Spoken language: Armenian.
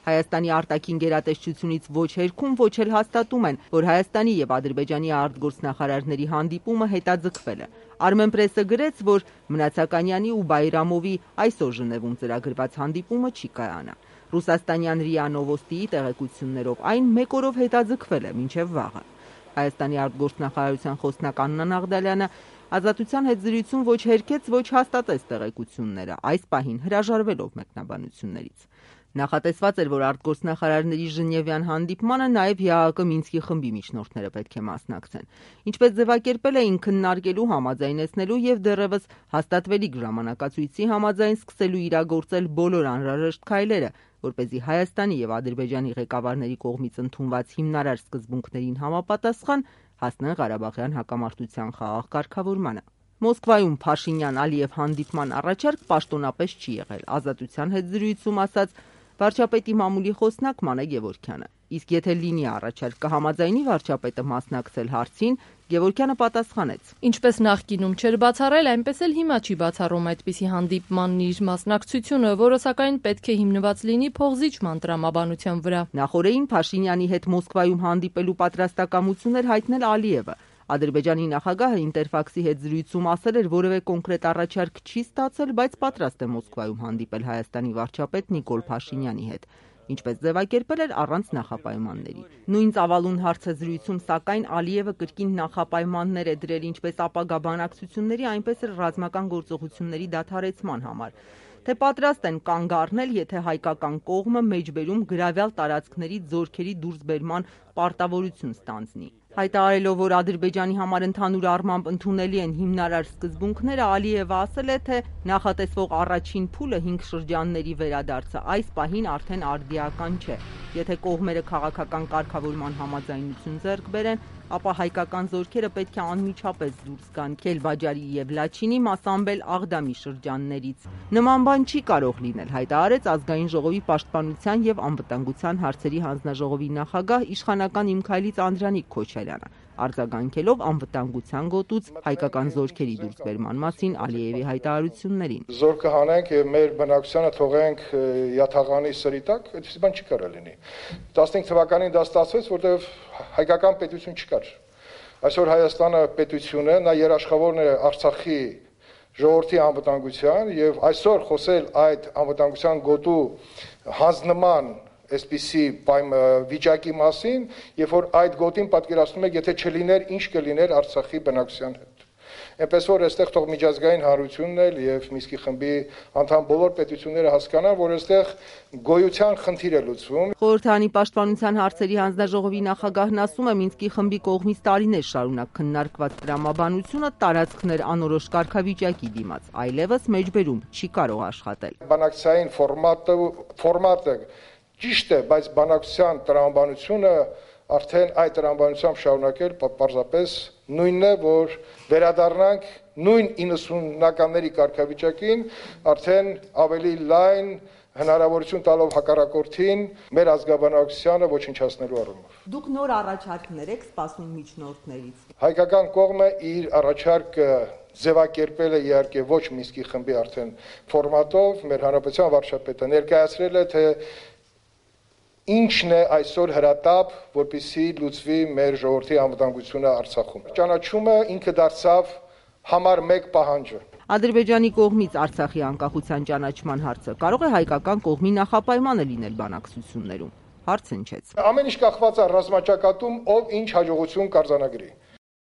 Հայաստանի արտաքին գերատեսչությունից ոչ հերքում, ոչ էլ հաստատում են, որ Հայաստանի եւ Ադրբեջանի արտգործնախարարների հանդիպումը հետաձգվել է։ Armenpress-ը գրեց, որ Մնացականյանի ու Բայրամովի այսօր Ժնևում ծրագրված հանդիպումը չի կայանա։ Ռուսաստանյան ՌԻԱ Նովոստիի տեղեկություններով այն մեկ օրով հետաձգվել է մինչև վաղը։ Հայաստանի արտգործնախարարության խոսնակ Աննա Նաղդալյանը Ազատության հետ զրույցում ոչ հերքեց, ոչ հաստատեց տեղեկությունները, այս պահին հրաժարվելով մեկնաբանություններից։ Նախատեսված էր, որ արտգործնախարարների Ժնևյան հանդիպմանը նաև ՀԱԱԿ Մինսկի խմբի միջնորդները պետք է մասնակցեն։ Ինչպես ձևակերպել էին քննարկելու, համաձայնեցնելու եւ դեռևս հաստատվելիք ժամանակացույցի համաձայն սկսելու իրագործել բոլոր անհրաժեշտ քայլերը, որպեսզի Հայաստանի եւ Ադրբեջանի ղեկավարների կողմից ընդունված հիմնարար սկզբունքներին համապատասխան հասնեն Ղարաբաղյան հակամարտության խաղաղ կարգավորմանը։ Մոսկվայում Փաշինյան-Ալիև հանդիպման առաջարկ պաշտոնապես չի եղել, Ազատության հետ զրույցում ասաց վարչապետի մամուլի խոսնակ Մանե Գևորգյանը։ Իսկ եթե լինի առաջարկ, կհամաձայնի վարչապետը մասնակցել հարցին, Գևորգյանը պատասխանեց. Ինչպես նախկինում չէր բացառել, այնպես էլ հիմա չի բացառում այդպիսի հանդիպման իր մասնակցությունը, որը սակայն պետք է հիմնված լինի փողզիջման տրամաբանության վրա։ Նախորդին Փաշինյանի հետ Մոսկվայում հանդիպելու պատրաստակամություն էր հայտնել Ալիևը։ Ադրբեջանի նախագահը Ինտերֆաքսի հետ զրույցում ասել էր, որևէ կոնկրետ առաջարկ չի ստացել, բայց պատրաստ է Մոսկվայում հանդիպել Հայաստանի վարչապետ Նիկոլ Փաշինյանի հետ, ինչպես ձևակերպել էր առանց նախապայմանների։ Նույն ծավալուն հարցազրույցում, սակայն Ալիևը կրկին նախապայմաններ է դրել ինչպես ապագա բանակցությունների, այնպես էլ ռազմական գործողությունների դադարեցման համար, թե պատրաստ են կանգ առնել, եթե հայկական կողմը մեջբերում գրավյալ տարածքներից զորքերի դուրսբերման պարտավորություն ստանձնի։ Հայտարարելով, որ Ադրբեջանի համար ընդհանուր առմամբ ընդունելի են հիմնարար սկզբունքները, Ալիևը ասել է, թե նախատեսվող առաջին փուլը 5 շրջանների վերադարձը այս պահին արդեն արդիական չէ։ Եթե կողմերը քաղաքական կարգավորման համաձայնություն ձեռք բերեն, ապա հայկական զորքերը պետք է անմիջապես դուրս գան Քելբաջարի եւ Լաչինի, Մասամբել, Աղդամի շրջաններից։ Նման բան չի կարող լինել, հայտարարեց Ազգային ժողովի պաշտպանության եւ անվտանգության հարցերի հանձնաժողովի նախագահ իշխանական Իմ Քայլից Անդրանիկ Քոչարյանը, արձագանքելով անվտանգության գոտուց հայկական զորքերի դուրսբերման մասին Ալիևի հայտարարություններին։ Զորքը հանենք եւ մեր բնակչությանը թողենք յաթաղանի սրի տակ, այդպես բան չի կարող լինի։ 15 թվականին դա ստացվեց, որտեղ հայկական պետություն չկար։ Այսօր Հայաստանը պետություն է, նա երաշխավորն է Արցախի ժողովրդի անվտանգության եւ այսօր խոսել այդ անվտանգության գոտու հանձնման այսպիսի վիճակի մասին, երբ որ այդ գոտին պատկերացնում եք, եթե չլիներ, ինչ կլիներ Արցախի բնակչության հետ։ Այնպես որ այստեղ թող միջազգային հանրությունն էլ եւ Մինսկի խմբի անդամ բոլոր պետությունները հասկանան, որ այստեղ գոյության խնդիր է լուծվում։ Խորհրդարանի պաշտպանության հարցերի հանձնաժողովի նախագահն ասում է, Մինսկի խմբի կողմից տարիներ շարունակ քննարկված տրամաբանությունը տարածքներ անորոշ կարգավիճակի դիմաց, այլևս մեջբերում չի կարող աշխատել։ Բանակցային ֆորմատը ճիշտ է, բայց բանակցության տրամաբանությունը արդեն այդ տրամաբանությամբ շարունակել պարզապես նույնն է, որ վերադառնանք նույն 90-ականների կարգավիճակին, արդեն ավելի լայն հնարավորություն տալով հակառակորդին մեր ազգաբնակչությանը ոչնչացնելու առումով։ Դուք նոր առաջարկներ եք սպասում միջնորդներից։ Հայկական կողմը իր առաջարկը ձևակերպել է իհարկե ոչ Մինսկի խմբի արդեն ֆորմատով, մեր հանրապետության վարչապետը ներկայացրել է, թե ինչն է այսօր հրատապ, որպեսզի լուծվի մեր ժողովրդի անվտանգությունը Արցախում։ Ճանաչումը ինքը դարձավ համար 1 պահանջը։ Ադրբեջանի կողմից Արցախի անկախության ճանաչման հարցը կարող է հայկական կողմի նախապայմանը լինել բանակցություններում։ Հարց հնչեց։ Ամեն ինչ կախված է ռազմաճակատում, ով ինչ հաջողություն կարձանագրի։